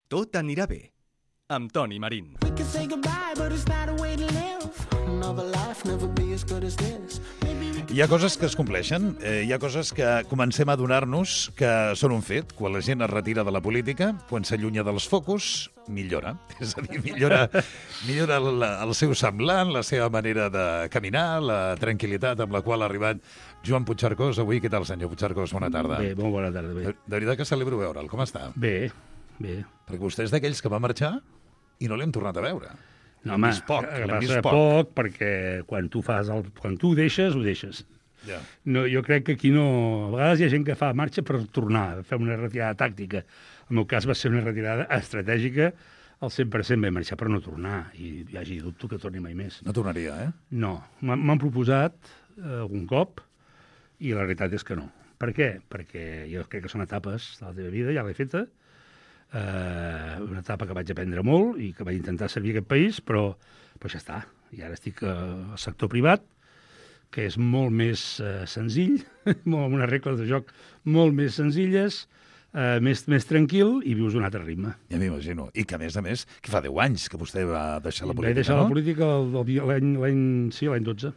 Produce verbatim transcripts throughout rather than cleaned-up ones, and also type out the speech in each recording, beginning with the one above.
Tot anirà bé, amb Toni Marín. We can say goodbye, but it's not a way to live. Another life never be as good as this. Hi ha coses que es compleixen, eh, hi ha coses que comencem a adonar-nos que són un fet. Quan la gent es retira de la política, quan s'allunya dels focus, millora. És a dir, millora, millora el, el seu semblant, la seva manera de caminar, la tranquil·litat amb la qual ha arribat Joan Puigcercós. Avui, què tal, senyor Puigcercós? Bona tarda. Bé, molt bona tarda. Bé. De, de veritat que celebro veure'l. Com està? Bé, bé. Perquè vostè és d'aquells que va marxar i no l'hem tornat a veure. No, home, vist poc, que l'hem vist passa poc. poc, perquè quan tu fas el, quan tu ho deixes, ho deixes. Ja. No, jo crec que aquí no... A vegades hi ha gent que fa marxa per tornar, fer una retirada tàctica. En el meu cas va ser una retirada estratègica, al cent per cent vam marxar per no tornar, i hi hagi dubte que torni mai més. No tornaria, eh? No, m'han m'han proposat eh, algun cop, i la realitat és que no. Per què? Perquè jo crec que són etapes de la teva vida, ja l'he feta, eh, una etapa que vaig aprendre molt i que vaig intentar servir a aquest país, però, però ja està. I ara estic eh, al sector privat, que és molt més eh, senzill, amb unes regles de joc molt més senzilles, eh, més, més tranquil, i vius un altre ritme. Ja m'imagino. I que, a més a més, que fa deu anys que vostè va deixar la política, Vaig deixar no? la política el- el- l'any l'any sí, l'any dotze.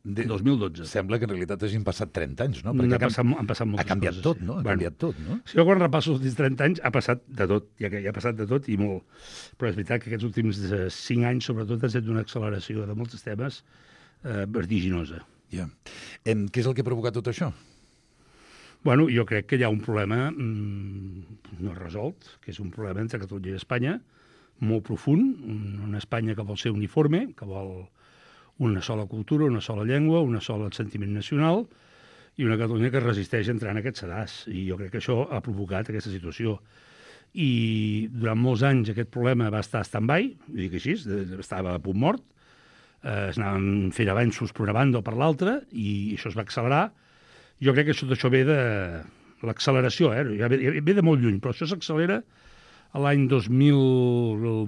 De... dos mil dotze. Sembla que en realitat hagin passat trenta anys, no? Han ha, passat, han passat moltes ha canviat coses, tot, sí. no? Ha Bueno. canviat tot, no? Si jo quan repasso els últims trenta anys ha passat de tot, ja que ja ha passat de tot i molt. Però és veritat que aquests últims eh, cinc anys, sobretot, ha estat una acceleració de molts temes eh, vertiginosa. Ja. Em, què és el que ha provocat tot això? Bueno, jo crec que hi ha un problema mmm, no resolt, que és un problema entre Catalunya i Espanya, molt profund, un- una Espanya que vol ser uniforme, que vol una sola cultura, una sola llengua, una sola sentiment nacional, i una Catalunya que es resisteix a entrar en aquest sedàs. I jo crec que això ha provocat aquesta situació. I durant molts anys aquest problema va estar stand-by, ho dic així, de- estava a punt mort, eh, es anaven fent avanços per una banda o per l'altra, i això es va accelerar. Jo crec que tot això ve de l'acceleració, eh? Ja ve, ve de molt lluny, però això s'accelera a l'any dos mil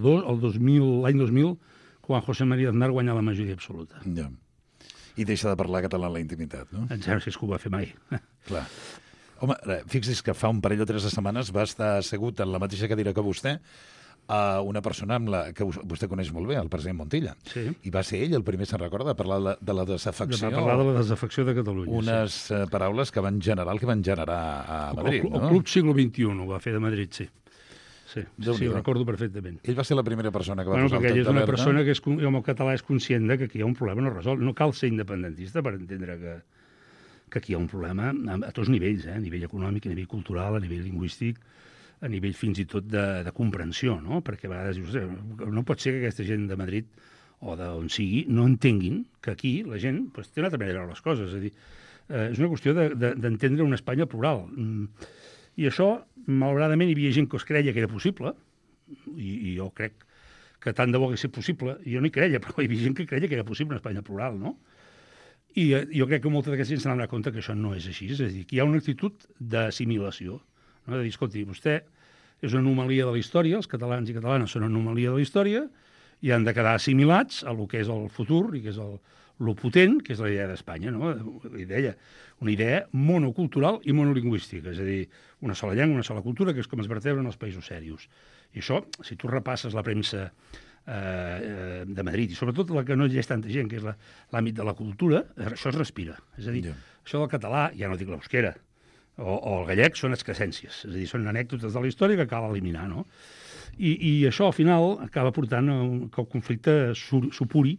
dos, el dos mil, l'any dos mil, quan José María Aznar guanya la majoria absoluta. Ja. I deixa de parlar català en la intimitat, no? Em sembla que és que ho va fer mai. Clar. Home, fixi's que fa un parell o tres de setmanes va estar assegut en la mateixa cadira que vostè a una persona amb la que vostè coneix molt bé, el president Montilla. Sí. I va ser ell el primer, se'n recorda, a parlar de, de la desafecció. Va parlar de la desafecció de Catalunya. Unes sí. eh, paraules que van generar el que van generar a Madrid, el, el, no? el Club Siglo vint-i-u ho va fer de Madrid, sí. Sí, sí, sí Déu-n'hi-do. ho recordo perfectament. Ell va ser la primera persona que va Bueno, posar perquè el ell toc és una d'alerta. persona que és, con- com el català és conscient de que aquí hi ha un problema no resolt. No cal ser independentista per entendre que, que aquí hi ha un problema a, a tots nivells, eh? A nivell econòmic, a nivell cultural, a nivell lingüístic, a nivell fins i tot de, de comprensió, no? Perquè a vegades dius, "Ostres, no pot ser que aquesta gent de Madrid o d'on sigui no entenguin que aquí la gent pues, té una altra manera de veure les coses. És a dir, eh, és una qüestió de- de- d'entendre una Espanya plural. Mm. I això, malauradament, hi havia gent que es creia que era possible, i, i jo crec que tant de bo que sigui possible, i jo no hi creia, però hi havia gent que creia que era possible una Espanya plural, no? I eh, jo crec que molta d'aquesta gent s'han donat compte que això no és així, és a dir, que hi ha una actitud d'assimilació, no? De dir, escolti, vostè és una anomalia de la història, els catalans i catalanes són una anomalia de la història, i han de quedar assimilats a lo que és el futur i que és el, lo potent, que és la idea d'Espanya, no? La idea, una idea monocultural i monolingüística, és a dir, una sola llengua, una sola cultura, que és com es vertebren els països serios. I això, si tu repasses la premsa eh, de Madrid, i sobretot la que no llegeix tanta gent, que és la- l'àmbit de la cultura, això es respira. És a dir, Ja. això del català, ja no dic l'eusquera, o, o el gallec són excrescències, és a dir, són anècdotes de la història que cal eliminar, no? I, i això, al final, acaba portant a un, que el conflicte su- supuri.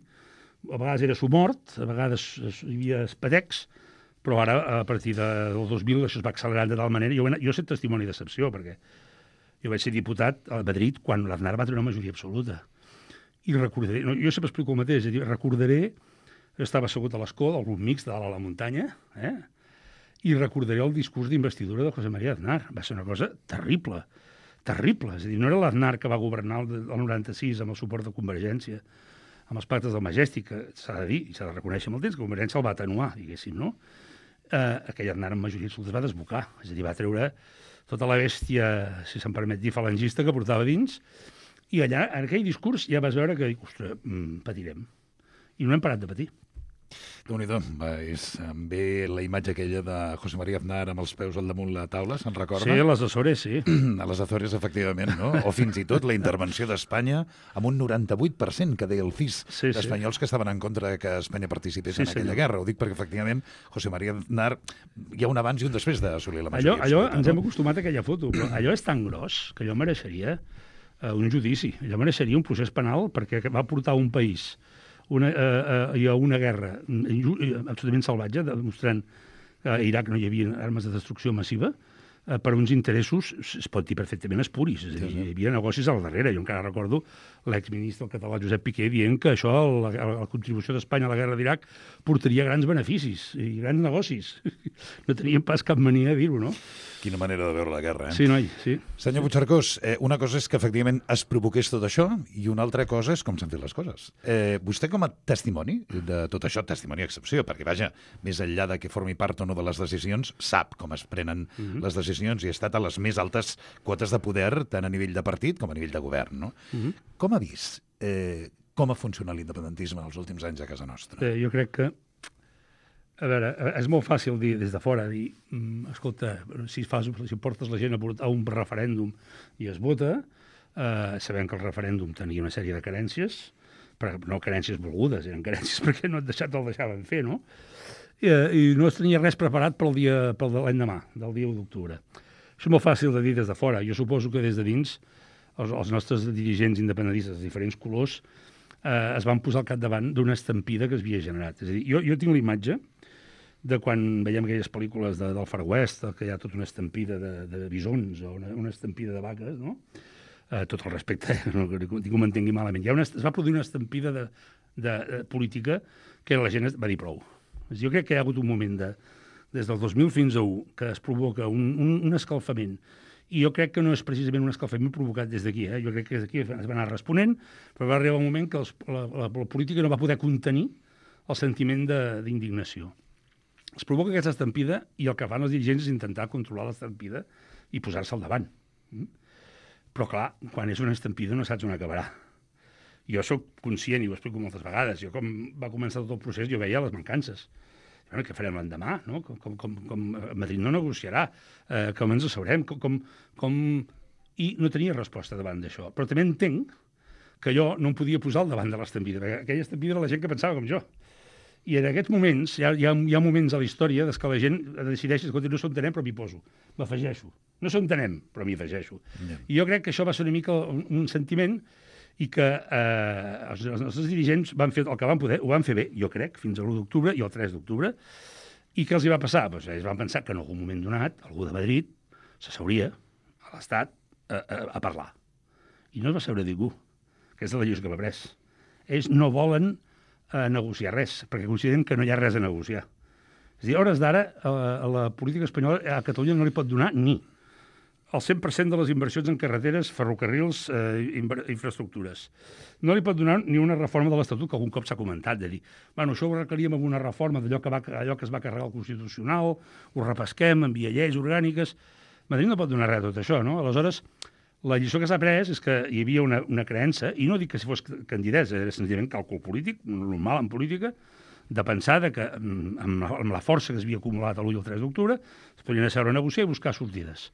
A vegades era sumort, a vegades es- hi havia espatecs, però ara, a partir de, del dos mil, això es va accelerant de tal manera. Jo, jo he estat testimoni d'excepció, perquè jo vaig ser diputat a Madrid quan l'Aznar va tenir una majoria absoluta. I recordaré, no, jo sempre explico el mateix, és a dir, recordaré que estava assegut a l'escó del grup mixt de dalt a la muntanya, eh? I recordaré el discurs d'investidura de José María Aznar. Va ser una cosa terrible, terrible. És a dir, no era l'Aznar que va governar el, el noranta-sis amb el suport de Convergència, amb els pactes del Majestic, que s'ha de dir, i s'ha de reconèixer amb el temps, que Convergència el va atenuar, diguéssim, no? Eh, aquell Aznar amb majoria absoluta es va desbocar, és a dir, va treure tota la bèstia, si se'n permet dir, falangista que portava dins, i allà, en aquell discurs, ja vas veure que, ostres, mm, patirem. I no hem parat de patir. Déu-n'hi-do, va, és, em ve la imatge aquella de José María Aznar amb els peus al damunt la taula, se'n recorda? Sí, a les Açores, sí. A les Azores, efectivament, no? O fins i tot la intervenció d'Espanya amb un noranta-vuit per cent que deia el C I S Sí, sí. d'espanyols que estaven en contra de que Espanya participés Sí, en aquella senyor. guerra. Ho dic perquè, efectivament, José María Aznar, hi ha un abans i un després d'assolir la Allò, majoria allò absoluta, ens hem no? acostumat a aquella foto, però allò és tan gros que allò mereixeria uh, un judici, allò mereixeria un procés penal perquè va portar un país una, uh, uh, a una guerra inju- absolutament salvatge, demostrant que a Iraq no hi havia armes de destrucció massiva, uh, per uns interessos, es pot dir perfectament espuris, és a dir, hi havia negocis al darrere. Jo encara recordo l'exministre català Josep Piqué dient que això, la, la contribució d'Espanya a la guerra d'Iraq, portaria grans beneficis i grans negocis. No teníem pas cap mania de dir-ho, no? Quina manera de veure la guerra, eh? Sí, noi, sí. Senyor Puigcercós, eh, una cosa és que efectivament es provoqués tot això i una altra cosa és com s'han fet les coses. Eh, vostè com a testimoni de tot això, testimoni excepció, perquè vaja, més enllà de que formi part o no de les decisions, sap com es prenen Mhm. les decisions i ha estat a les més altes quotes de poder, tant a nivell de partit com a nivell de govern, no? Mhm. Com ha vist eh, com ha funcionat l'independentisme els últims anys a casa nostra? Eh, jo crec que, a veure, eh, és molt fàcil dir des de fora, dir, mm, escolta, si, fas, si portes la gent a portar a un referèndum i es vota, eh, sabem que el referèndum tenia una sèrie de carències, però no carències volgudes, eren carències perquè no et deixat el deixaven fer, no? I, eh, i no es tenia res preparat pel dia pel de l'endemà, del dia u d'octubre. Això és molt fàcil de dir des de fora. Jo suposo que des de dins els, els nostres dirigents independentistes de diferents colors eh, es van posar al capdavant d'una estampida que es havia generat. És a dir, jo, jo tinc la imatge de quan veiem aquelles pel·lícules de, del Far West, que hi ha tota una estampida de, de bisons o una, una estampida de vaques, no? Eh, tot el respecte, eh? No que ningú m'entengui malament. Hi ha una, es va produir una estampida de, de, de política que la gent va dir prou. Jo crec que hi ha hagut un moment de, des del dos mil fins a u que es provoca un, un, un escalfament. I jo crec que no és precisament un escalfament provocat des d'aquí. Eh? Jo crec que des d'aquí es va anar responent, però va arribar un moment que els, la, la, la política no va poder contenir el sentiment d'indignació. Es provoca aquesta estampida i el que fan els dirigents és intentar controlar l'estampida i posar-se al davant. Mm? Però, clar, quan és una estampida no saps on acabarà. Jo sóc conscient, i ho explico moltes vegades, jo com va començar tot el procés jo veia les mancances. Bueno, què farem l'endemà? No? Com, com, com, com Madrid no negociarà, eh, com ens asseurem, com, com, com... I no tenia resposta davant d'això. Però també entenc que jo no em podia posar al davant de l'estampida, perquè aquella estampida era la gent que pensava com jo. I en aquests moments, hi ha, hi ha, hi ha moments a la història des que la gent decideix, escolta, no s'ho entenem, però m'hi poso, m'afegeixo. No s'ho entenem, però m'hi afegeixo. Yeah. I jo crec que això va ser una mica un, un sentiment i que eh, els, els nostres dirigents van fer el que van poder, ho van fer bé, jo crec, fins a l'u d'octubre i el tres d'octubre. I què els hi va passar? Pues ells van pensar que en algun moment donat algú de Madrid s'asseuria a l'Estat a, a, a parlar. I no es va seure ningú. Aquesta és la lliçó que va pres. Ells no volen a negociar res, perquè consideren que no hi ha res a negociar. És a dir, a hores d'ara, a, a la política espanyola, a Catalunya no li pot donar ni el cent per cent de les inversions en carreteres, ferrocarrils, eh, infraestructures. No li pot donar ni una reforma de l'Estatut, que algun cop s'ha comentat, de dir, bueno, això ho arreglaríem amb una reforma d'allò que, va, allò que es va carregar al Constitucional, ho repesquem, envia lleis orgàniques... Madrid no pot donar res de tot això, no? Aleshores, la lliçó que s'ha pres és que hi havia una, una creença, i no dic que si fos candidesa, era senzillament càlcul polític, normal en política, de pensar que amb la, amb la força que s'havia acumulat l'u i el tres d'octubre es podien asseure a negociar i buscar sortides.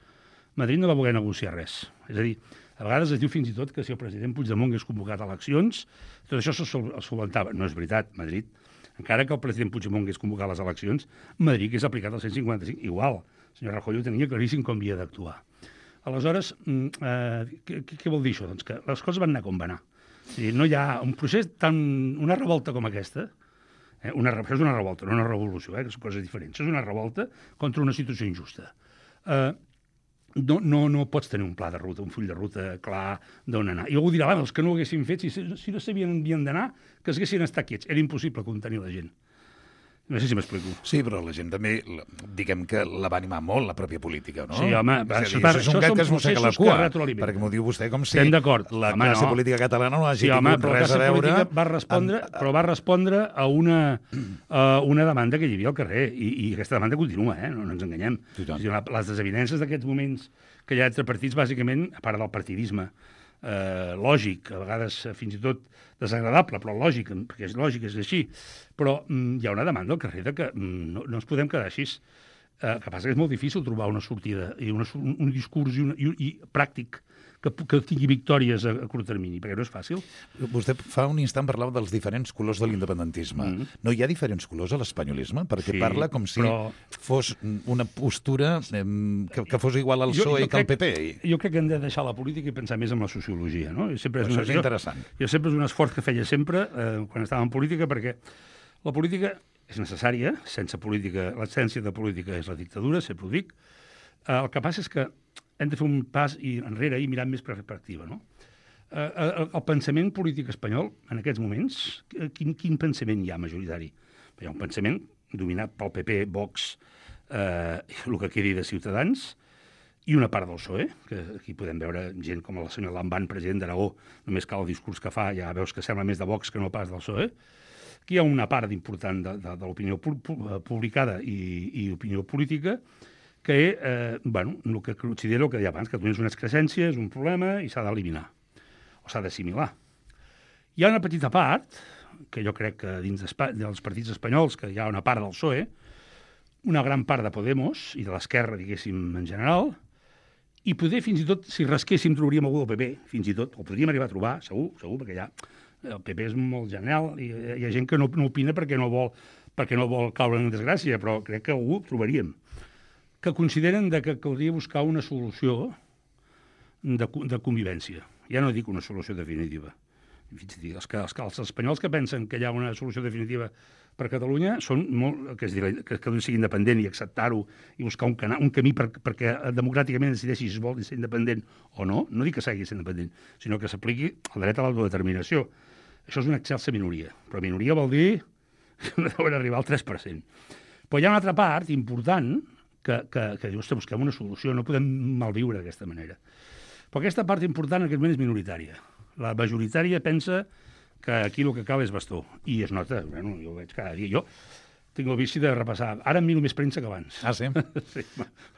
Madrid no va voler negociar res. És a dir, a vegades es diu fins i tot que si el president Puigdemont hagués convocat eleccions, tot això se solventava. No és veritat, Madrid. Encara que el president Puigdemont hagués convocat les eleccions, Madrid hagués aplicat el cent cinquanta-cinc. Igual, el senyor Rajoy ho tenia claríssim com havia d'actuar. Aleshores, eh, què, què vol dir això? Doncs que les coses van anar com van anar. És a dir, no hi ha un procés tan... una revolta com aquesta, eh, una, això és una revolta, no una revolució, eh, que són coses diferents. Això és una revolta contra una situació injusta. Eh, No, no, no pots tenir un pla de ruta, un full de ruta clar d'on anar. I algú dirà, els que no ho haguessin fet, si, si no sabien on havien d'anar, que es haguessin estat quiets. Era impossible contenir la gent. No sé si m'explico. Sí, però la gent també, diguem que la va animar molt, la pròpia política, no? Sí, home, és, això, dir, això és un gat que es mossega la cua, que perquè m'ho diu vostè com si Estem d'acord. la Home, classe no. política catalana no hagi sí, home, tingut res a veure... Va respondre, amb... Però va respondre a una, a una demanda que hi havia al carrer, i, i aquesta demanda continua, eh? no, no ens enganyem. Sí, dir, les desavinences d'aquests moments que hi ha entre partits, bàsicament, a part del partidisme, eh, lògic, a vegades eh, fins i tot desagradable, però lògic, perquè és lògic, és així. Però mm, hi ha una demanda al carrer de que mm, no, no ens podem quedar així. Eh, que passa que és molt difícil trobar una sortida i una, un, un discurs i, una, i, i pràctic que, que tingui victòries a, a curt termini, perquè no és fàcil. Vostè fa un instant parlava dels diferents colors de l'independentisme. Mm. No hi ha diferents colors a l'espanyolisme? Perquè Sí, parla com si però- fos una postura eh, que, que fos igual al Jo- PSOE jo que al crec- P P. Jo crec que hem de deixar la política i pensar més en la sociologia, no? I sempre és Això una, és jo- interessant. Jo sempre és un esforç que feia sempre eh, quan estava en política, perquè la política és necessària, sense política, l'essència de política és la dictadura, sempre ho dic. Eh, el que passa és que hem de fer un pas i enrere i mirar més perspectiva, no? Eh, el, el pensament polític espanyol, en aquests moments, eh, quin, quin pensament hi ha majoritari? Hi ha un pensament dominat pel P P, Vox, eh, el que quedi de Ciutadans, i una part del P S O E, que aquí podem veure gent com el senyor Lamban, president d'Aragó, només cal el discurs que fa, ja veus que sembla més de Vox que no pas del P S O E. Aquí hi ha una part important de, de, de l'opinió pu pu publicada i, i opinió política que, eh, bueno, el que considero el que deia abans, que és una excrescència, és un problema i s'ha d'eliminar, o s'ha d'assimilar. Hi ha una petita part, que jo crec que dins dels partits espanyols, que hi ha una part del P S O E, una gran part de Podemos i de l'esquerra, diguéssim, en general, i poder, fins i tot, si rasquéssim, trobaríem algú del P P, fins i tot, o podríem arribar a trobar, segur, segur, perquè ja el P P és molt genial, i hi ha gent que no, no opina perquè no vol perquè no vol caure en desgràcia, però crec que algú trobaríem, que consideren de que caldria buscar una solució de, de convivència. Ja no dic una solució definitiva. Els, que, els, els espanyols que pensen que hi ha una solució definitiva per Catalunya són molt, que, és dir, que Catalunya sigui independent i acceptar-ho i buscar un, cana, un camí per, perquè democràticament decideixi si es vol ser independent o no. No dic que s'hagi de ser independent, sinó que s'apliqui el dret a l'autodeterminació. Això és una excelsa minoria, però minoria vol dir que deuen arribar al tres per cent. Però hi ha una altra part important que, que, que diu, ostres, busquem una solució, no podem malviure d'aquesta manera. Però aquesta part important en aquest moment és minoritària. La majoritària pensa que aquí el que cal és bastó. I es nota, bueno, jo ho veig cada dia. Jo tinc el vici de repassar. Ara em miro més premsa que abans. Ah, sí? Sí,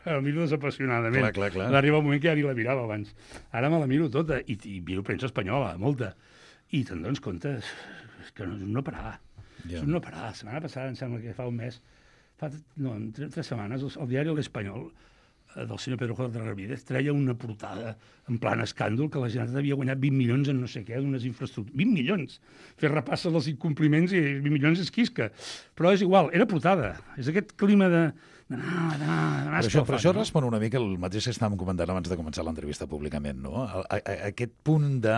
el miro desapassionadament. Clar, clar, clar. Va arribar un moment que ja ni la mirava abans. Ara me la miro tota, i, i miro premsa espanyola, molta. I te'n dones compte és que no, és un no parar. Ja. És un no parar. La setmana passada, em sembla que fa un mes, fa no, tres, tres setmanes, el, el diari L'Espanyol del senyor Pedro J. Ramírez treia una portada en plan escàndol que la Generalitat havia guanyat vint milions en no sé què, d'unes infraestructures. vint milions! Fer repassa dels incompliments i vint milions és quisca. Però és igual, era portada. És aquest clima de d'anar, d'anar, d'anar Però això, però això no? respon una mica el mateix que estàvem comentant abans de començar l'entrevista públicament, no? A, a, a, aquest punt de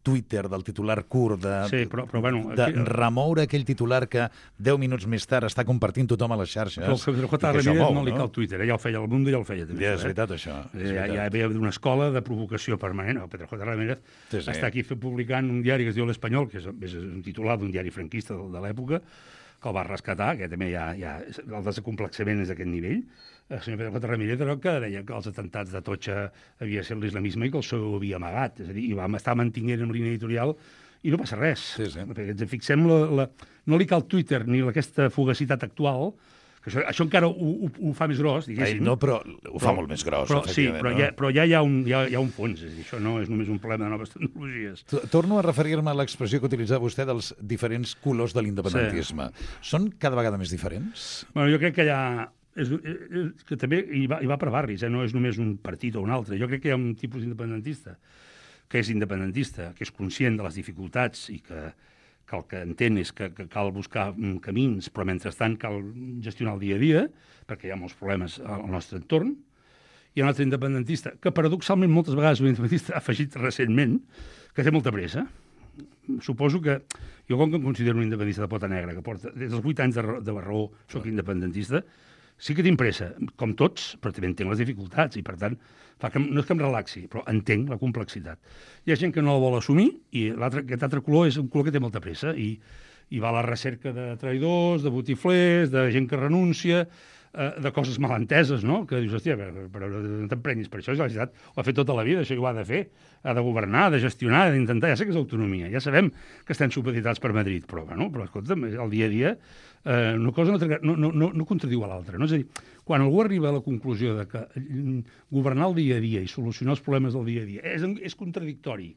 Twitter, del titular curt, de, Sí, però, però bueno... de Aquí, remoure aquell titular que deu minuts més tard està compartint tothom a les xarxes. però el Pedro J. i que això Ramírez mou, no li cal Twitter, ell el feia, el Mundo ja el feia també. Ja, això, és veritat, això. És Ja, veritat. ja ve d'una escola de provocació permanent. El Pedro J. Ramírez Sí, sí. està aquí publicant un diari que es diu L'Espanyol, que és, és un titular d'un diari franquista de, de l'època, que el va rescatar, que també ja, ja, el desacomplexament és d'aquest nivell. El senyor Pedro J. Ramírez era el que deia que els atentats de Totxa havia de ser l'islamisme i que el seu ho havia amagat. És a dir, i vam estar mantinguent en línia editorial i no passa res. Sí, sí. Perquè ens fixem, la, la, no li cal Twitter ni aquesta fugacitat actual, que això, això encara ho, ho, ho fa més gros, Ai, diguéssim. no, però ho fa molt més gros, però, sí, efectivament. però, no? ja, però ja hi ha un, hi ha, hi ha un fons, és a dir, això no és només un problema de noves tecnologies. T- Torno a referir-me a l'expressió que utilitzava vostè dels diferents colors de l'independentisme. Sí. Són cada vegada més diferents? Bueno, jo crec que hi ha... És, és, que també hi va, hi va per barris, eh? No és només un partit o un altre. Jo crec que hi ha un tipus independentista que és independentista, que és conscient de les dificultats i que, que el que entén és que, que cal buscar camins, però mentrestant cal gestionar el dia a dia, perquè hi ha molts problemes al nostre entorn. Hi ha un altre independentista, que paradoxalment moltes vegades un independentista ha afegit recentment, que té molta pressa. Suposo que jo, com que em considero un independentista de pota negra, que porta des dels vuit anys de, de Barraó soc independentista, sí que tinc pressa, com tots, però també entenc les dificultats i, per tant, fa que, no és que em relaxi, però entenc la complexitat. Hi ha gent que no la vol assumir i aquest altre color és un color que té molta pressa i, i va a la recerca de traïdors, de botiflers, de gent que renuncia, eh, de coses malenteses, no? Que dius, hòstia, però, però no t'emprenyis per això, la Generalitat ho ha fet tota la vida, això ho ha de fer, ha de governar, ha de gestionar, ha d'intentar, ja sé que és autonomia, ja sabem que estem supeditats per Madrid, però, bueno, però escolta'm, el dia a dia eh, una cosa no, no, no, no contradiu a l'altra, no? És a dir, quan algú arriba a la conclusió de que governar el dia a dia i solucionar els problemes del dia a dia és, és contradictori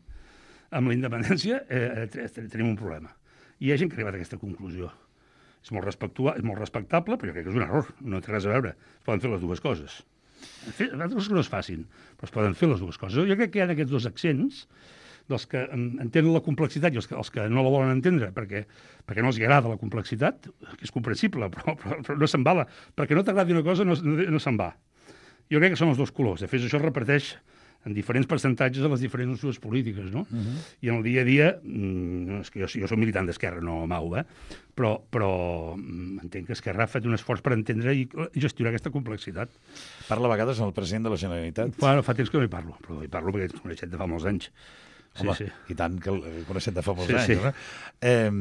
amb la independència eh, tenim un problema. I hi ha gent que ha arribat a aquesta conclusió. És molt, és molt respectable, però jo crec que és un error. No té res a veure. Es poden fer les dues coses. Altres que no es facin, però es poden fer les dues coses. Jo crec que hi ha aquests dos accents dels que entenen la complexitat i els que, els que no la volen entendre perquè, perquè no els agrada la complexitat, que és comprensible, però, però, però no se'n va. Perquè no t'agradi una cosa, no, no, no se'n va. Jo crec que són els dos colors. De fet, això es repeteix en diferents percentatges de les diferents opcions polítiques, no? Uh -huh. I en el dia a dia, no, és que jo, jo soc militant d'Esquerra, no mau, eh? però, però entenc que Esquerra ha fet un esforç per entendre i gestionar aquesta complexitat. Parla a vegades amb el president de la Generalitat? Bueno, fa temps que no hi parlo, però hi parlo perquè ens coneixem de fa molts anys. Home, sí, sí. I tant que el coneixem de fa molts sí, anys, sí. No? Eh,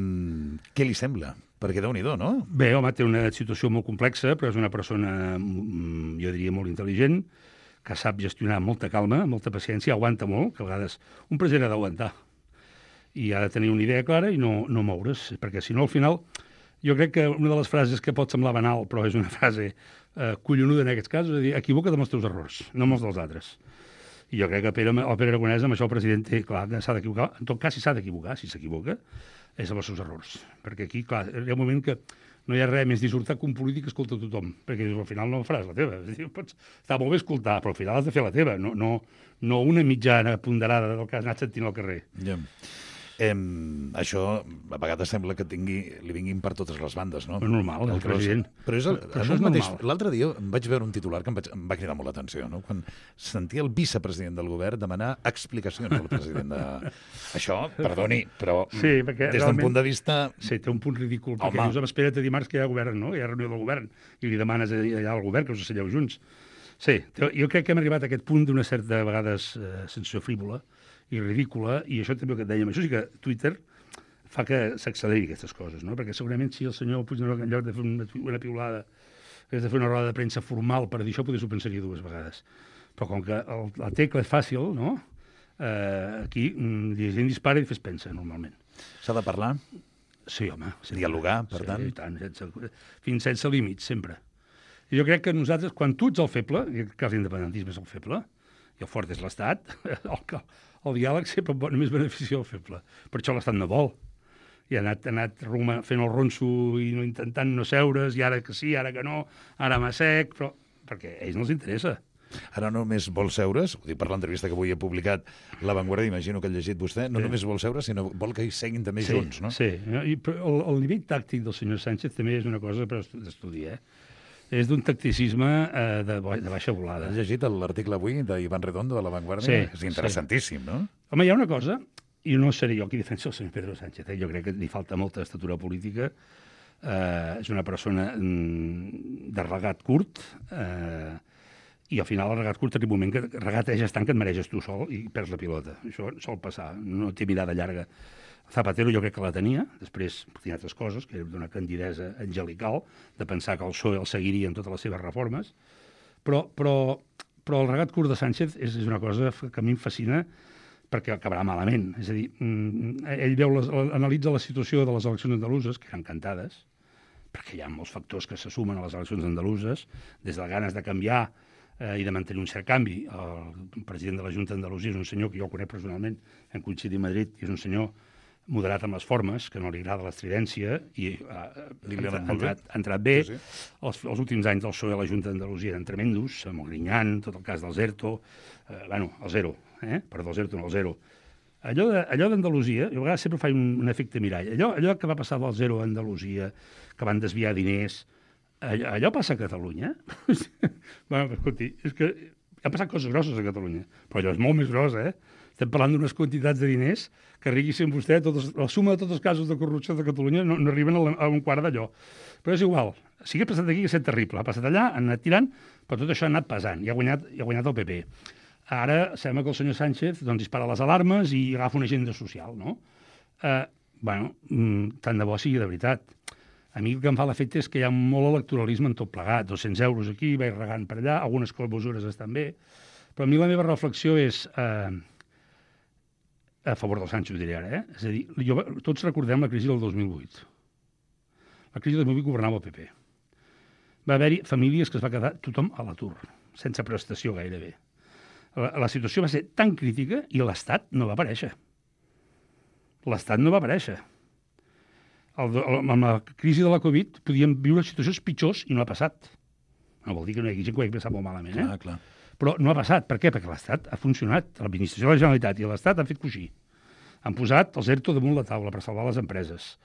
què li sembla? Perquè déu-n'hi-do, no? Bé, home, té una situació molt complexa, però és una persona, jo diria, molt intel·ligent, que sap gestionar amb molta calma, molta paciència, aguanta molt, que a vegades un president ha d'aguantar. I ha de tenir una idea clara i no, no moure's, perquè si no, al final, jo crec que una de les frases que pot semblar banal, però és una frase eh, collonuda en aquests casos, és a dir, equivoca't amb els teus errors, no amb els dels altres. I jo crec que Pere, el Pere Aragonès, amb això el president té, clar, s'ha d'equivocar. En tot cas, si s'ha d'equivocar, si s'equivoca, és amb els seus errors. Perquè aquí, clar, hi ha un moment que no hi ha res més dissortat que un polític que escolta tothom, perquè al final no faràs la teva. És dir, pots, està molt bé escoltar, però al final has de fer la teva, no, no, no una mitjana ponderada del que has anat sentint al carrer. Ja. Eh, això a vegades sembla que tingui, li vinguin per totes les bandes, no? És normal, el president. Però és el, però és mateix. L'altre dia em vaig veure un titular que em, vaig, em va cridar molt l'atenció, no? Quan sentia el vicepresident del govern demanar explicacions al president de... Això, perdoni, però sí, des d'un punt de vista... Sí, té un punt ridícul, perquè Home. dius, espera't a dimarts que hi ha govern, no? Hi ha reunió del govern, i li demanes allà al govern que us asseieu junts. Sí, jo crec que hem arribat a aquest punt d'una certa, a vegades, eh, sensació frívola i ridícula, i això també el que et dèiem, això sí que Twitter fa que s'acceleri aquestes coses, no? Perquè segurament si el senyor Puigneró, en lloc de fer una, una piulada, hagués de fer una roda de premsa formal per dir això, potser s'ho pensaria dues vegades. Però com que el, la tecla és fàcil, no? Eh, aquí la gent dispara i fes pensa, normalment. S'ha de parlar? Sí, home. Sempre. Dialogar, per sí, tant? Sí, tant, sense, fins sense límits, sempre. I jo crec que nosaltres, quan tu ets el feble, i que l'independentisme és el feble, i el fort és l'Estat, el, el diàleg sempre només beneficia el feble. Per això l'Estat no vol. I ha anat, ha anat Roma fent el ronso i no intentant no seure's, i ara que sí, ara que no, ara m'ha sec, però perquè a ells no els interessa. Ara no només vol seure's, ho dic per l'entrevista que avui he publicat La Vanguardia, imagino que ha llegit vostè, no sí. només vol seure's, sinó vol que hi seguin també sí, junts, no? Sí, I, però el, el nivell tàctic del senyor Sánchez també és una cosa per estudiar, eh? És d'un tacticisme eh, de, de baixa volada. Has llegit l'article avui d'Ivan Redondo de La Vanguardia? Sí. És interessantíssim, sí. No? Home, hi ha una cosa, i no seré jo qui defensa el senyor Pedro Sánchez, eh? Jo crec que li falta molta estatura política, eh, és una persona mm, de regat curt, eh, i al final el regat curt té un moment que regateges tant que et mareges tu sol i perds la pilota. Això sol passar, no té mirada llarga. Zapatero jo crec que la tenia, després tenia altres coses, que era d'una candidesa angelical, de pensar que el P S O E el seguiria en totes les seves reformes, però, però, però el regat curt de Sánchez és, és una cosa que a mi em fascina perquè acabarà malament. És a dir, ell veu les, analitza la situació de les eleccions andaluses, que eren cantades, perquè hi ha molts factors que se sumen a les eleccions andaluses, des de ganes de canviar eh, i de mantenir un cert canvi. El president de la Junta d'Andalusia és un senyor que jo el conec personalment, hem coincidit a Madrid, i és un senyor moderat amb les formes, que no li agrada l'estridència, i uh, ha, entrat, ha entrat bé. Sí, sí. Els, els últims anys del P S O E a la Junta d'Andalusia eren tremendos, amb el Griñán, tot el cas del Zerto, eh, bueno, el zero, eh? Perdó, el Zerto, no, el zero. Allò, de, allò d'Andalusia, jo a vegades sempre faig un, un efecte mirall, allò, allò que va passar del zero a Andalusia, que van desviar diners, allò, allò passa a Catalunya? Bueno, escolti, és que ha passat coses grosses a Catalunya, però allò és molt més gros, eh? Estem parlant d'unes quantitats de diners que riguissin vostè, totes, la suma de tots els casos de corrupció de Catalunya no, no arriben a, la, a un quart d'allò. Però és igual. Si hagués passat aquí, que és terrible. Ha passat allà, han anat tirant, però tot això ha anat pesant i ha guanyat, i ha guanyat el P P. Ara sembla que el senyor Sánchez doncs, dispara les alarmes i agafa una agenda social, no? Eh, bueno, tant de bo sigui de veritat. A mi el que em fa l'efecte és que hi ha molt electoralisme en tot plegat. dos-cents euros aquí, vaig regant per allà, algunes mesures estan bé, però a mi la meva reflexió és... Eh, a favor del Sánchez, ho diré ara, eh? És a dir, jo, tots recordem la crisi del dos mil vuit. La crisi del dos mil vuit governava el P P. Va haver-hi famílies que es va quedar tothom a l'atur, sense prestació gairebé. La, la situació va ser tan crítica i l'Estat no va aparèixer. l'Estat no va aparèixer. El, el, amb la crisi de la Covid podíem viure situacions pitjors i no ha passat. No vol dir que no hi hagi gent que ho hagi passat molt malament, eh? Clar, clar. Però no ha passat. Per què? Perquè l'Estat ha funcionat. L'administració de la Generalitat i l'Estat han fet coixí. Han posat els ERTO damunt la taula per salvar les empreses.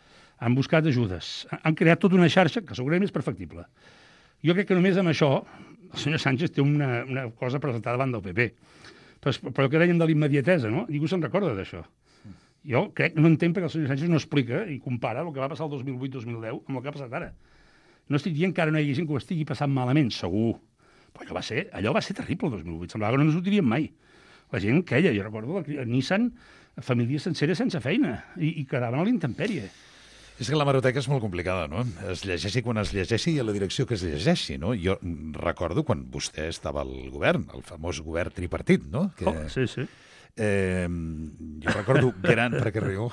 Han buscat ajudes. Han creat tota una xarxa que segurament és perfectible. Jo crec que només amb això el senyor Sánchez té una, una cosa presentada davant del P P. Però, però el que dèiem de l'immediatesa, no? Ningú se'n recorda d'això. Jo crec, no entenc perquè el senyor Sánchez no explica i compara el que va passar el dos mil vuit dos mil deu amb el que ha passat ara. No estic dient que ara no hi hagi gent que ho estigui passant malament, segur. Però allò va ser, allò va ser terrible el dos mil vuit. Semblava que no ens ho diríem mai. La gent queia, jo recordo a Nissan, famílies senceres sense feina i, i quedaven a l'intempèrie. És que la hemeroteca és molt complicada, no? Es llegeixi quan es llegeixi i a la direcció que es llegeixi, no? Jo recordo quan vostè estava al govern, el famós govern tripartit, no? Que... Oh, sí, sí. Eh, jo recordo gran... Per què riu?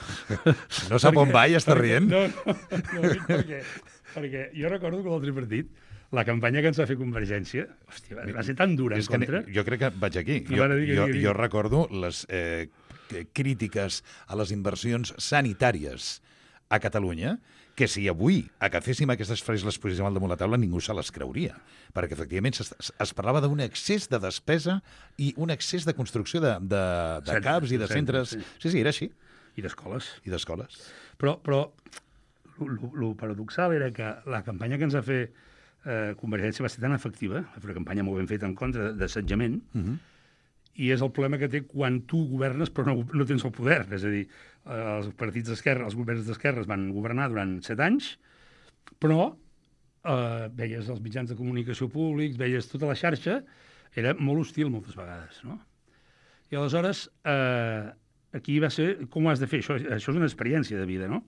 No sap on va i està rient? No, no, no, perquè, perquè jo recordo que el tripartit, la campanya que ens va fer Convergència, hòstia, va ser tan dura en és contra. Que, jo crec que vaig aquí. No, jo, digui, jo, digui. jo recordo les eh, crítiques a les inversions sanitàries a Catalunya, que si avui agaféssim aquestes frases i les poséssim al damunt la taula, ningú se les creuria. Perquè, efectivament, es, es parlava d'un excés de despesa i un excés de construcció de, de, de Centres, caps i de centres, centres. sí. Sí, sí, era així. I d'escoles. I d'escoles. Però, però el paradoxal era que la campanya que ens va fer eh, Convergència va ser tan efectiva, va fer una campanya molt ben feta en contra d'assetjament, Uh -huh. i és el problema que té quan tu governes però no, no tens el poder. És a dir, eh, els partits d'esquerra, els governs d'esquerres van governar durant set anys, però eh, veies els mitjans de comunicació públics, veies tota la xarxa, era molt hostil moltes vegades, no? I aleshores, eh, aquí va ser com ho has de fer. Això, això és una experiència de vida, no?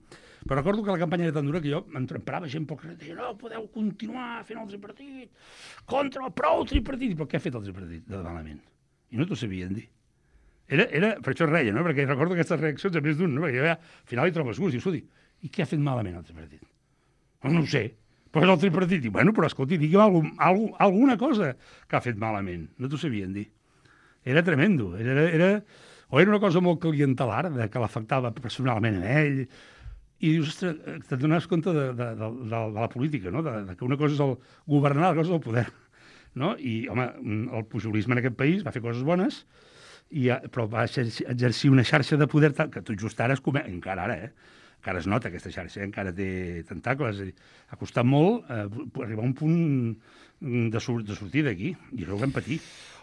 Però recordo que la campanya era tan dura que jo emprava gent pel carrer, deia, no, podeu continuar fent el tripartit, contra el prou tripartit. Però què ha fet el tripartit de malament? I no t'ho sabien dir. Era, era, per això es reia, no? Perquè recordo aquestes reaccions a més d'un, no? Perquè jo ja, al final hi trobes gust, dius, escolti, i què ha fet malament el tripartit? No, no ho sé, però és el tripartit. Diu, bueno, però escolti, digui'm algun, algun, alguna cosa que ha fet malament. No t'ho sabien dir. Era tremendo. Era, era, o era una cosa molt clientelar, de que l'afectava personalment a ell, i dius, ostres, te dones compte de, de, de, de, de la política, no? De, de que una cosa és el governar, l'altra cosa és el poder. No? I, home, el pujolisme en aquest país va fer coses bones, i, però va exercir una xarxa de poder que tot just ara es come... encara ara, eh? Encara es nota aquesta xarxa, eh? Encara té tentacles. Ha costat molt eh, arribar a un punt de, sur de sortir d'aquí, i això ho vam patir.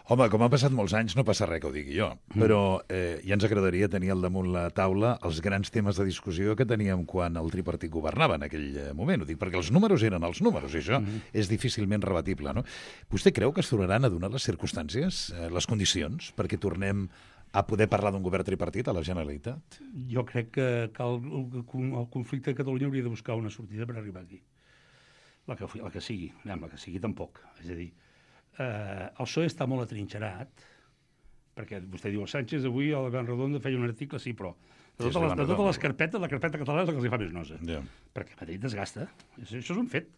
Home, com han passat molts anys, no passa res que ho digui jo, però eh, ja ens agradaria tenir al damunt la taula els grans temes de discussió que teníem quan el tripartit governava en aquell moment. Ho dic perquè els números eren els números, i això mm-hmm. és difícilment rebatible, no? Vostè creu que es tornaran a donar les circumstàncies, eh, les condicions, perquè tornem a poder parlar d'un govern tripartit a la Generalitat? Jo crec que, que el, el, el conflicte de Catalunya hauria de buscar una sortida per arribar aquí. La que, la que sigui, anem, la que sigui tampoc. És a dir, eh, el P S O E està molt atrinxerat, perquè vostè diu, Sánchez avui al Gran Redondo feia un article, sí, però de totes, sí, les, de totes les carpetes, la carpeta catalana és la que els fa més nosa. Yeah. Perquè Madrid desgasta. Això és un fet.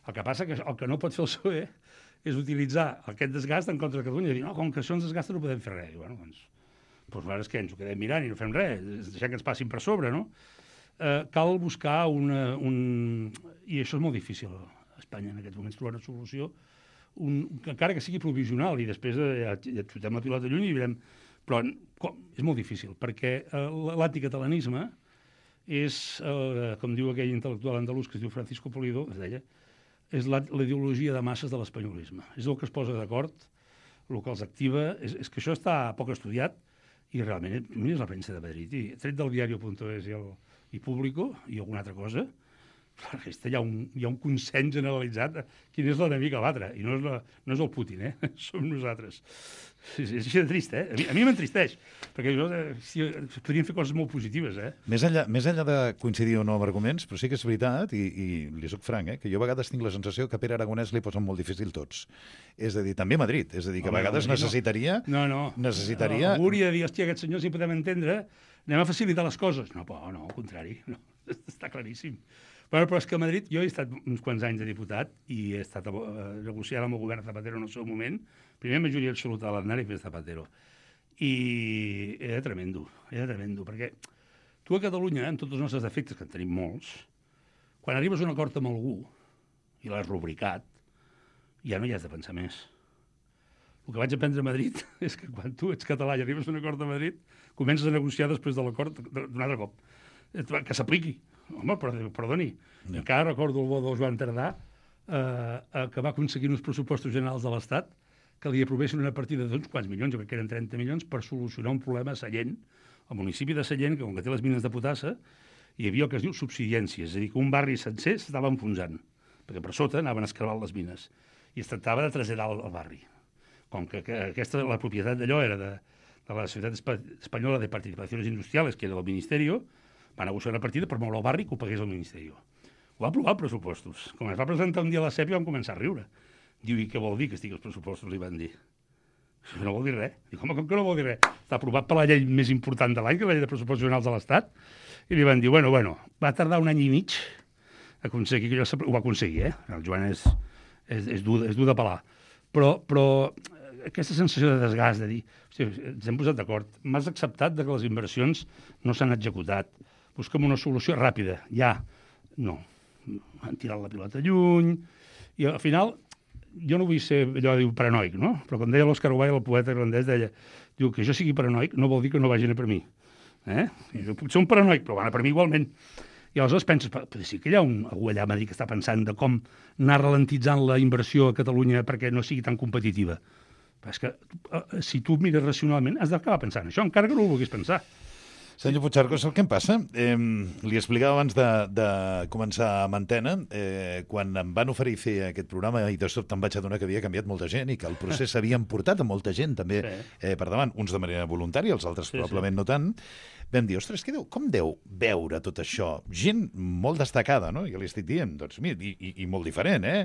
El que passa que el que no pot fer el P S O E és utilitzar aquest desgast en contra de Catalunya i dir, no, com que això ens desgasta no podem fer res. I, bueno, doncs, doncs nosaltres què, ens ho quedem mirant i no fem res, deixem que ens passin per sobre, no? Eh, cal buscar una, un... I això és molt difícil a Espanya en aquests moments, trobar una solució, un... encara que sigui provisional, i després eh, ja, ja xutem la pilota lluny i veurem... Però com? És molt difícil, perquè eh, l'anticatalanisme és, eh, com diu aquell intel·lectual andalús que es diu Francisco Polido, es deia, és la, la ideologia de masses de l'espanyolisme. És el que es posa d'acord, el que els activa... És, és que això està poc estudiat i realment és la premsa de Madrid. I tret del diario.es i, el, i Público i alguna altra cosa, la resta hi ha un, hi ha un consens generalitzat de quin és l'enemic a l'altre. I no és, la, no és el Putin, eh? Som nosaltres. És, és així de trist, eh? A mi, a mi m'entristeix, perquè jo, si, podríem fer coses molt positives, eh? Més enllà, més enllà de coincidir o no amb arguments, però sí que és veritat, i, i li soc franc, eh, que jo a vegades tinc la sensació que a Pere Aragonès li posen molt difícil tots. És a dir, també a Madrid. És a dir, que a vegades no, necessitaria... No, no. necessitaria... No, hauria de dir, hòstia, aquest senyor, si podem entendre, anem a facilitar les coses. No, però no, al contrari. No, està claríssim. Però, però és que a Madrid, jo he estat uns quants anys de diputat i he estat uh, negociant amb el govern Zapatero en el seu moment, primer majoria absoluta a l'Aznar i després Zapatero. I era tremendo, era tremendo, perquè tu a Catalunya, amb tots els nostres defectes, que en tenim molts, quan arribes a un acord amb algú i l'has rubricat, ja no hi has de pensar més. El que vaig aprendre a Madrid és que quan tu ets català i arribes a un acord a Madrid, comences a negociar després de l'acord d'un altre cop. Que s'apliqui. Home, perdoni. No. Encara recordo el bo del Joan Tardà, eh, que va aconseguir uns pressupostos generals de l'Estat que li aprovessin una partida d'uns quants milions, jo crec que eren trenta milions, per solucionar un problema a Sallent, al municipi de Sallent, que com que té les mines de potassa, hi havia el que es diu subsidència, és a dir, que un barri sencer s'estava enfonsant, perquè per sota anaven escarbant les mines, i es tractava de traslladar el, el barri. Com que, que aquesta, la propietat d'allò era de, de la Societat Espanyola de Participaciones Industriales, que era del Ministeri, va negociar una partida per moure el barri que ho pagués el Ministeri. Ho va aprovar els pressupostos. Com es va presentar un dia a la C E P i vam començar a riure. Diu, i què vol dir que estigui els pressupostos? Li van dir. Això no vol dir res. Dic, home, com que no vol dir res? Està aprovat per la llei més important de l'any, que és la llei de pressupostos generals de l'Estat. I li van dir, bueno, bueno, va tardar un any i mig a aconseguir que allò ho va aconseguir, eh? El Joan és, és, és, dur, és dur de pelar. Però, però aquesta sensació de desgast, de dir, hosti, ens hem posat d'acord, m'has acceptat de que les inversions no s'han executat, busquem una solució ràpida, ja. No, han tirat la pilota lluny, i al final, jo no vull ser allò diu paranoic, no? Però com deia l'Òscar Wilde, el poeta irlandès, deia, diu que jo sigui paranoic no vol dir que no vagin a per mi. Eh? Jo puc ser un paranoic, però van a per mi igualment. I aleshores penses, però sí que hi ha un, algú allà a Madrid que està pensant de com anar ralentitzant la inversió a Catalunya perquè no sigui tan competitiva. Però és que si tu mires racionalment has d'acabar pensant això, encara que no ho vulguis pensar. Senyor Puigcercós, el que em passa? Eh, li explicava abans de, de començar amb Antena, eh, quan em van oferir fer aquest programa i de sobte em vaig adonar que havia canviat molta gent i que el procés s'havia portat a molta gent també sí. eh, per davant, uns de manera voluntària, els altres sí, probablement sí. no tant. Vam dir, ostres, que deu, com deu veure tot això? Gent molt destacada, no? Jo li estic dient, doncs, mira, i, i, i molt diferent, eh?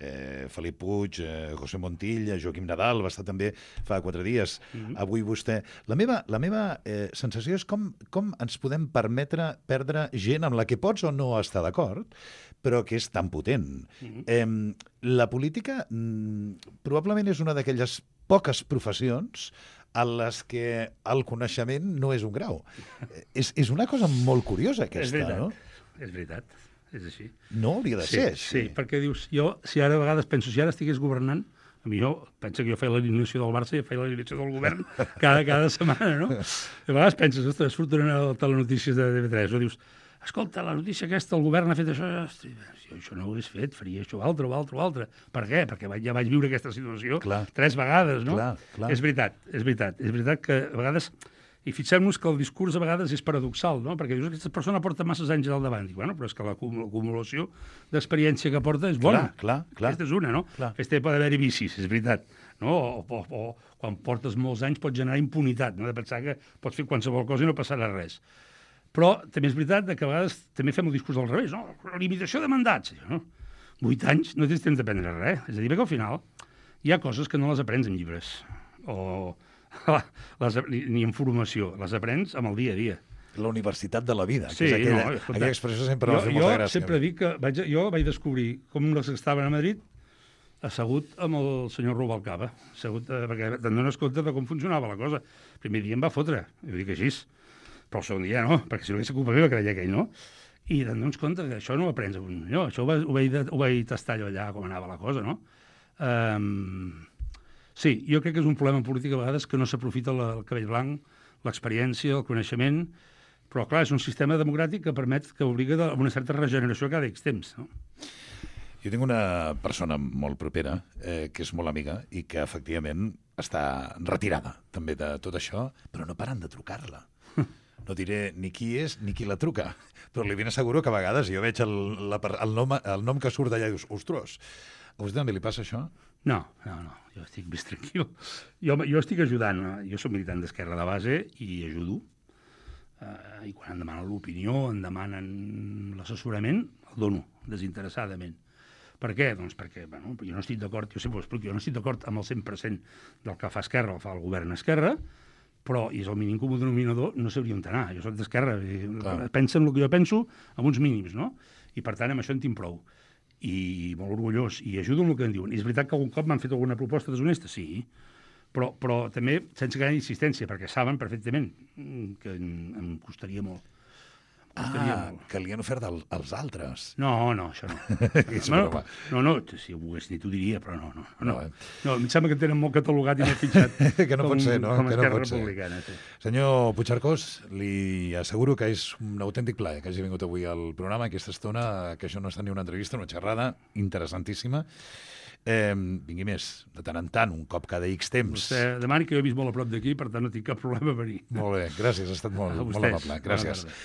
eh Felip Puig, eh, José Montilla, Joaquim Nadal, va estar també fa quatre dies, mm-hmm. avui vostè. La meva, la meva eh, sensació és com, com ens podem permetre perdre gent amb la que pots o no estar d'acord, però que és tan potent. Mm-hmm. Eh, la política mm, probablement és una d'aquelles poques professions a les que el coneixement no és un grau. és, és una cosa molt curiosa, aquesta, és veritat, no? És veritat, és així. No hauria de sí, ser així. Sí, perquè dius, jo, si ara a vegades penso, si ara estigués governant, a mi jo, pensa que jo feia l'alineació del Barça i feia l'alineació del govern cada, cada setmana, no? I a vegades penses, ostres, surten a les telenotícies de T V tres, o dius, escolta, la notícia aquesta, el govern ha fet això, hosti, si jo això no ho hagués fet, faria això, altre, o altre, o altre. Per què? Perquè ja vaig viure aquesta situació clar. tres vegades, no? Clar, clar. És veritat, és veritat. És veritat que a vegades... I fixem-nos que el discurs a vegades és paradoxal, no? Perquè dius que aquesta persona porta masses anys al davant. Dic, bueno, però és que l'acumulació d'experiència que porta és bona. Clar, clar, clar. Aquesta és una, no? Clar. Aquesta pot haver-hi vicis, és veritat. No? O, o, o quan portes molts anys pot generar impunitat, no? De pensar que pots fer qualsevol cosa i no passarà res. Però també és veritat que a vegades també fem el discurs al revés, no? La limitació de mandats. No? Vuit anys no tens temps d'aprendre res. És a dir, que al final hi ha coses que no les aprens en llibres o les, ni, ni en formació. Les aprens amb el dia a dia. La universitat de la vida, sí, que és aquella, no, escolta, aquella expressió sempre jo, m'ha fet molta jo gràcia. Jo sempre dic que vaig, jo vaig descobrir com els que estaven a Madrid assegut amb el senyor Rubalcaba, assegut, eh, perquè te'n dones compte de com funcionava la cosa. El primer dia em va fotre, ho dic així. Però el segon dia no, perquè si no hagués culpa meva, creia aquell, no? I te'n dones compte que això no ho aprens. Jo, això ho, ho, vaig, ho vaig tastar allò allà, com anava la cosa, no? Um, sí, jo crec que és un problema polític a vegades que no s'aprofita el cabell blanc, l'experiència, el coneixement, però clar, és un sistema democràtic que permet, que obliga a una certa regeneració cada X temps, no? Jo tinc una persona molt propera, eh, que és molt amiga i que efectivament està retirada també de tot això, però no paren de trucar-la. No diré ni qui és ni qui la truca, però li ben asseguro que a vegades jo veig el, la, el, nom, el nom que surt d'allà i dius, ostres, a vostè també li passa això? No, no, no, jo estic més tranquil. Jo, jo estic ajudant, jo soc militant d'esquerra de base i ajudo, eh, i quan em demanen l'opinió, em demanen l'assessorament, el dono, desinteressadament. Per què? Doncs perquè, bueno, jo no estic d'acord, jo sempre ho explico, jo no estic d'acord amb el cent per cent del que fa Esquerra, el fa el govern Esquerra, però, i és el mínim comú denominador, no sabria on anar. Jo soc d'Esquerra, pensa en el que jo penso, amb uns mínims, no? I, per tant, amb això en tinc prou. I molt orgullós, i ajudo en el que em diuen. I és veritat que algun cop m'han fet alguna proposta deshonesta? Sí, però, però també sense gran insistència, perquè saben perfectament que em, em costaria molt. Estaria Ah, molt. que li han ofert al, als altres. No, no, això no. És no, broma. no, no, si ho volgués dir t'ho diria, però no, no. No, No, no, eh? no em sembla que tenen molt catalogat i molt fitxat. Que no com, pot ser, no? Com a Que no Esquerra pot ser. Republicana. Sí. Senyor Puigcercós, li asseguro que és un autèntic plaer que hagi vingut avui al programa, aquesta estona, que això no està ni una entrevista, una xerrada interessantíssima. Eh, vingui més, de tant en tant, un cop cada X temps. Vostè demani que jo he vist molt a prop d'aquí, per tant no tinc cap problema a venir. Molt bé, gràcies, ha estat molt, A molt vostès. amable. Bona Gràcies. tarda.